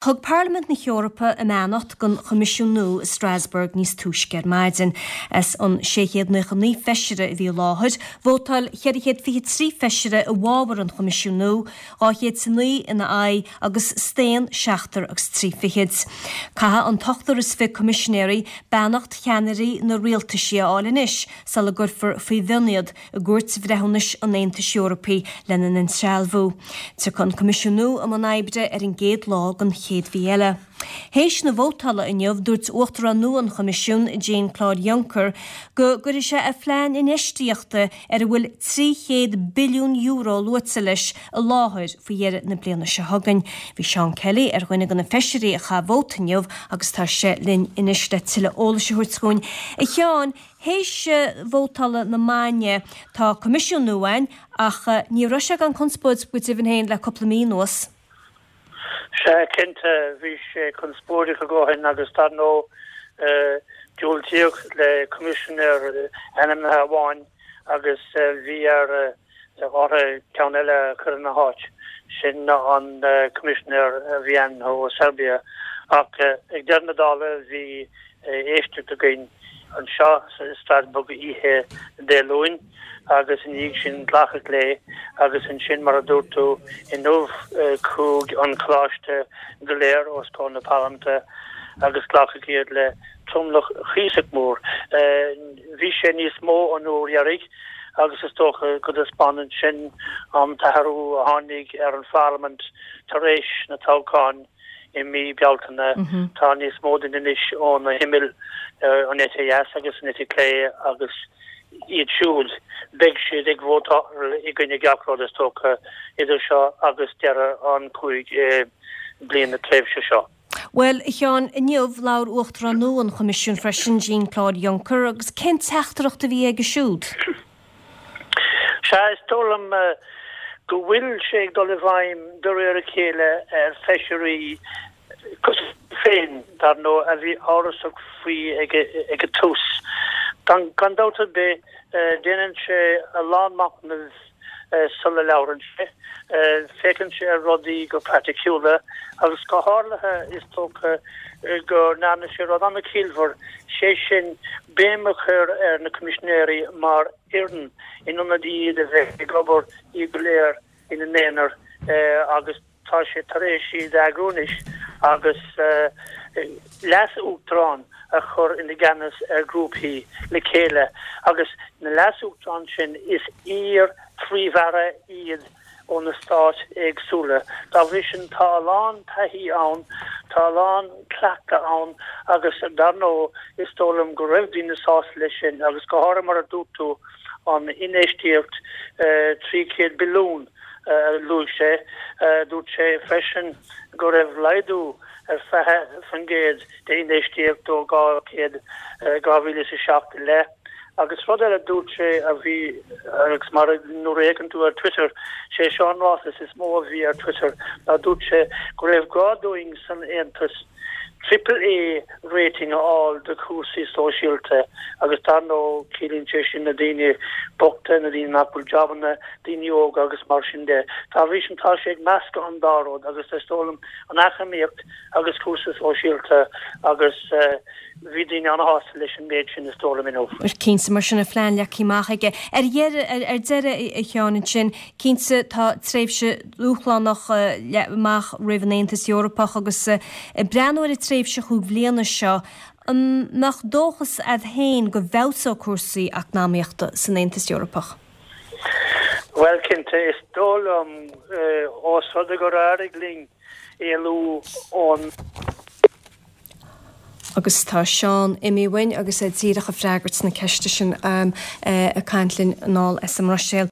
Thug Parlaimint na hEorpa a mbeannacht don Choimisiún nua i Strasbourg níos túisce ar maidin. As an 699 feisire a bhí i láthair, vótáil 423 feisire i bhfabhar an Choimisiúin nua, 209 ina aghaidh agus staon seachtar agus tri fichid. Caithfidh an t-ochtar is fi coimisinéirí beannacht cheannairí na rialtaisí a fháil anois sula gcuirfear faoi mhionn iad i gCúirt Bhreithiúnais an Aontais Eorpaigh lena n-insealbhú. Tiocfaidh an Coimisiún nua i mbun oibre ar an gcéad lá den chéad mhí eile. Théis na vótála inniu, dúirt Uachtarán nua an Choimisiúin, Jean Claude Juncker, go gcuirfidh sé a phlean infheistíochta ar a bhfuil €300 billiún luaite leis i láthair faoi dheireadh na bliana seo chugainn. Bhí Seán Kelly ar dhuine de na feisirí a chaith vóta inniu agus tá sé linn anois le tuilleadh eolais a thabhairt dhúinn. A Sheáin, Théis vótála na maidne, tá Coimisiún nua ann, ach ní raibh sé gan conspóid go deimhin féin le cúpla mí anuas. Sea, cinnte, bhí sé conspóideach a dhóthain agus dar ndóigh diúltaíodh le Coimisinéir ainmnithe amháin agus bhí ar orthu ceann eile a chur ina háit, sin an Coimisinéir a bhí ainmnithe ó Serbia. Ach ag deireadh na dála bhí éisteacht againn anseo i Strasbourg oíche Dé Luain agus ina dhiaidh sin glacadh léi agus ansin mar a dúirt tú inniu chuaigh an coláiste go léir os comhair na Parlaiminte agus glacadh iad le tromlach cuíosach mór. Bhí sé níos mó an uair dheiridh agus is dócha go dtaispeánann sin an t-athrú a tháinig ar an Pharlaimint tar éis na toghcháin i mí Bealtaine. Tá níos mó daoine anois ó na himill, an eite dheas agus an eite chlé agus iad siúd, beidh siad ag vótáil i gcoinne gach rud is dócha idir seo agus deireadh an 5 bliana tréimhse seo. Bhuel, a Sheáin, inniu labhair Uachtarán nua an Choimisiúin freisin, Jean Claude Juncker, agus cén teachtaireacht a bhí aige siúd? Sea, is dóigh liom go bhfuil sé ag dul i bhfeidhm de réir a chéile ar feisirí cosúil liom féin, dar ndóigh, a bhí amhrasach faoi ag an tús. Gan dabht ar bith, déanann sé a lán machnaimh sula labhrann sé. Féachann sé ar rudaí go praiticiúla agus go háirithe is dócha go ndearna sé rud an-chiallmhar, sé sin béim a chur ar na coimisinéirí mar fhoireann in ionad iad a bheith ag obair iad go léir ina n-aonar agus Tá sé tar éis iad a eagrú anois agus leas-uachtarán a chur ina gceannas ar ghrúpaí le chéile agus na leas-uachtaráin sin is iar-phríomh-aire iad ó na stáit éagsúla. Dá bhrí sin tá a lán taithí ann, tá a lán cleachtadh ann agus dar ndóigh is dóigh liom go raibh daoine sásta leis sin agus go háirithe mar a dúirt tú an infheistíocht 300 billiún a luaigh sé. Dúirt sé freisin go raibh laghdú ar 20% d'infheistíocht ó 200, 2007 i leith. Agus rud eile a dúirt sé a bhí, agus mar nuair a fhéachann tú ar Twitter, sé seo an ráiteas is mó a bhí ar Twitter, ná dúirt sé go raibh gá dúinn san Aontas Triple A rating a fháil do chúrsaí sóisialta agus dar ndóigh ciallaíonn sé sin na daoine bochta, na daoine nach bhfuil jabanna, daoine óga agus mar sin de. Dá bhrí sin tá sé ag meascadh an dá rud agus is dóigh liom an eacnamaíocht agus cúrsaí sóisialta agus bhí daoine an-shásta leis an méid sin is dóigh liom inniu. Cinnte, mar sin a phlean leagtha amach aige. Ar dheireadh, ar deireadh a Sheáin ansin, cinnte tá tréimhse dúshlánach amach roimh an Aontas Eorpach agus ag breathnú ar an tréimhse chúig bhliana seo, an mbeadh dóchas agat féin go bhfeabhsóidh cúrsaí eacnamaíochta san Aontas Eorpach? Bhuel, cinnte, is dóigh liom, ós rud é gur éirigh linn éalú ón. Agus tá Seán imithe uainn agus é díreach ag freagairt na ceiste sin ag caint linn anall as an mBruiséil.